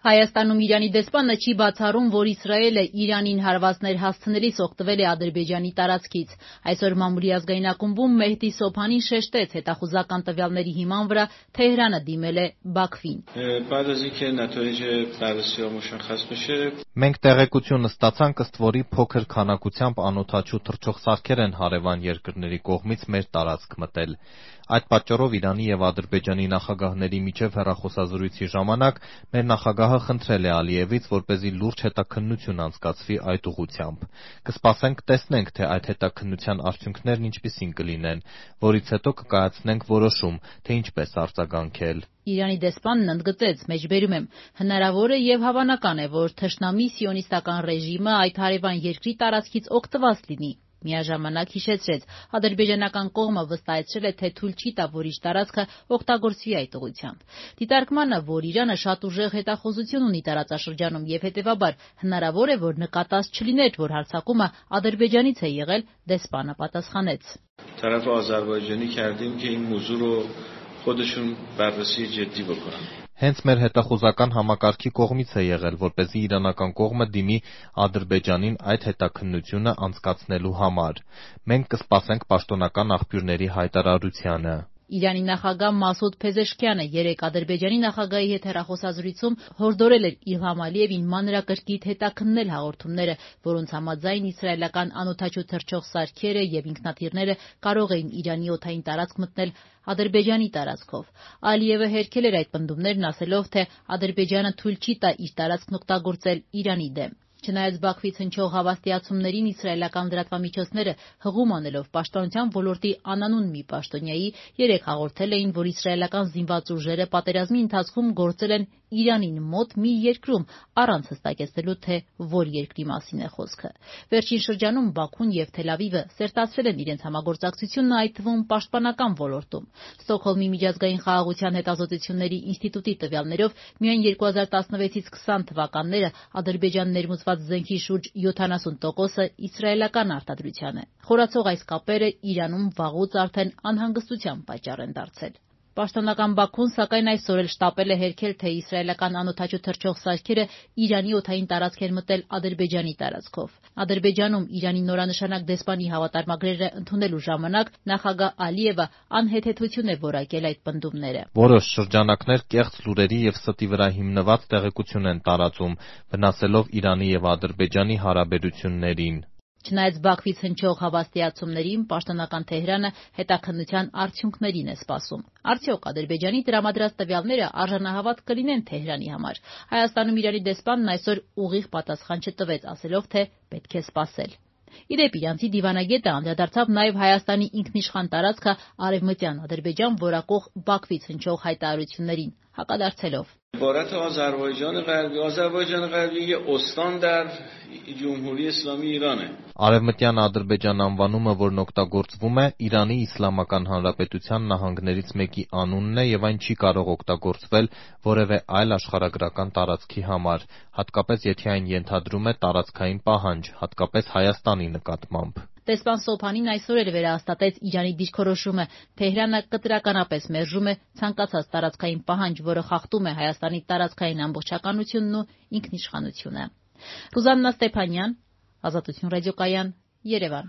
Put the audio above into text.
Հայաստանում Իրանի դեսպանը չի բացառում, որ Իսրայելը Իրանին հարվածներ հասցնելիս օգտվել է Ադրբեջանի տարածքից։ Այսօր մամուլի ազգային ակումբում Մեհդի Սոփանին շեշտեց հետախուզական տվյալների հիման վրա Թեհրանը դիմել է Բաքվին։ Մենք տեղեկություն ստացանք, ըստ որի փոքր քանակությամբ անօդաչու թռչող սարքեր են հարևան երկրների կողմից մեր տարածք մտել։ Այդ պատճառով Իրանի եւ Ադրբեջանի նախագահների միջև հեռախոսազրույցի ժամանակ մեր նախագահը խնդրել է Ալիևից, որպեսզի լուրջ հետաքննություն անցկացվի այդ ուղղությամբ։ Կսպասենք տեսնենք, թե այդ հետաքննության արդյունքներն ինչպիսին կլինեն, որից հետո կկայացնենք որոշում, թե ինչպես արձագանքել։ Իրանի դեսպանն ընդգծեց, մեջբերում եմ, հնարավոր է եւ հավանական է, որ թշնամի սիոնիստական ռեժիմը այդ հարևան երկրի տարածքից օգտված լինի։ Միաժամանակ հիշեցրեց, ադրբեջանական կողմը վստահեցրել է, թե թույլ չի տա, որ իր տարածքը օգտագործվի այդ ուղղությամբ։ Դիտարկմանը, որ Իրանը շատ ուժեղ հետախուզություն ունի տարածաշրջանում եւ հետեւաբար հնարավոր է, որ նկատած չլիներ, որ հարձակումը Ադրբեջանից է եղել, դեսպանը պատասխանեց. Տարաֆ Ադրբեջանի کردیم که این موضوع رو خودشون بررسی جدی بکنن. Հենց մեր հետախուզական համակարգի կողմից է եղել, որպեսզի իրանական կողմը դիմի Ադրբեջանին այդ հետաքննությունը անցկացնելու համար։ Մենք կսպասենք պաշտոնական աղբյուրների հայտարարությանը։ Իրանի նախագահ Մասուդ Փեզեշքյանը երեկ Ադրբեջանի նախագահի հետ հեռախոսազրույցում հորդորել էր Իլհամ Ալիևին մանրակրկիտ հետաքննել հաղորդումները, որոնց համաձայն իսրայելական անօդաչու թռչող սարքերը եւ ինքնաթիռները կարող էին Իրանի օդային տարածք մտնել Ադրբեջանի տարածքով։ Ալիևը հերքել էր այդ պնդումներն, ասելով, թե Ադրբեջանը թույլ չի տա իր տարածքն օգտագործել Իրանի դեմ։ Չնայած Բաքվից հնչող հավաստիացումներին իսրայելական լրատվամիջոցները հղում անելով պաշտպանության ոլորտի անանուն մի պաշտոնյայի երեկ հաղորդել էին, որ իսրայելական զինված ուժերը պատերազմի ընթացքում գործել են Իրանին մոտ մի երկրում, առանց հստակեցնելու, թե որ երկրի մասին է խոսքը։ Վերջին շրջանում Բաքուն եւ Թել Ավիվը սերտացրել են իրենց համագործակցությունը, այդ թվում պաշտպանական ոլորտում։ Ստոկհոլմի միջազգային խաղաղության հետազոտությունների ինստիտուտի տվյալներով միայն 2016-ից 20 թվականները Ադրբեջան ներմուծված զենքի շուրջ 70%-ը իսրայելական արտադրության է։ Խորացող այս կապերը Իրանում վաղուց արդեն անհանգստության պատճառ են դարձել։ Պաշտոնական Բաքուն, սակայն այսօր էլ շտապել է հերքել, թե իսրայելական անօդաչու թռչող սարքերը Իրանի օդային տարածք են մտել Ադրբեջանի տարածքով։ Ադրբեջանում Իրանի նորանշանակ դեսպանի հավատարմագրերը ընդունելու ժամանակ նախագահ Ալիևը անհեթեթություն է որակել այդ պնդումները։ Որոշ շրջանակներ կեղծ լուրերի եւ ստի վրա հիմնված տեղեկություն են տարածում, վնասելով Իրանի եւ Ադրբեջանի հարաբերություններին։ Չնայած Բաքվից հնչող հավաստիացումներին, պաշտոնական Թեհրանը հետաքննության արդյունքներին է սպասում։ Արդյոք Ադրբեջանի տրամադրած տվյալները արժանահավատ կլինեն Թեհրանի համար։ Հայաստանում Իրանի դեսպանն այսօր ուղիղ պատասխան չտվեց, ասելով, թե պետք է սպասել։ Իդեպ իրանցի դիվանագետը անդրադարձավ նաև Հայաստանի ինքնիշխան տարածքը Արևմտյան Ադրբեջան որակող Բաքվից հնչող հայտարարություններին, հակադարձելով. Ադրբեջան غربی یه استان در جمهوری اسلامی ایرانه. Արևմտյան Ադրբեջան անվանումը, որն օգտագործվում է, Իրանի Իսլամական Հանրապետության նահանգներից մեկի անունն է եւ այն չի կարող օգտագործվել որևէ այլ աշխարհագրական տարածքի համար, հատկապես եթե այն ենթադրում է տարածքային պահանջ, հատկապես Հայաստանի նկատմամբ։ Դեսպան Սոփանին այսօր էլ վերահաստատեց Իրանի դիրքորոշումը։ Թեհրանը կտրականապես մերժում է ցանկացած տարածքային պահանջ, որը խախտում է Հայաստանի տարածքային ամբողջականությունն ու ինքնիշխանությունը։ Ռուզաննա Ստեփանյան, Ազատություն ռադիոկայան, Երևան։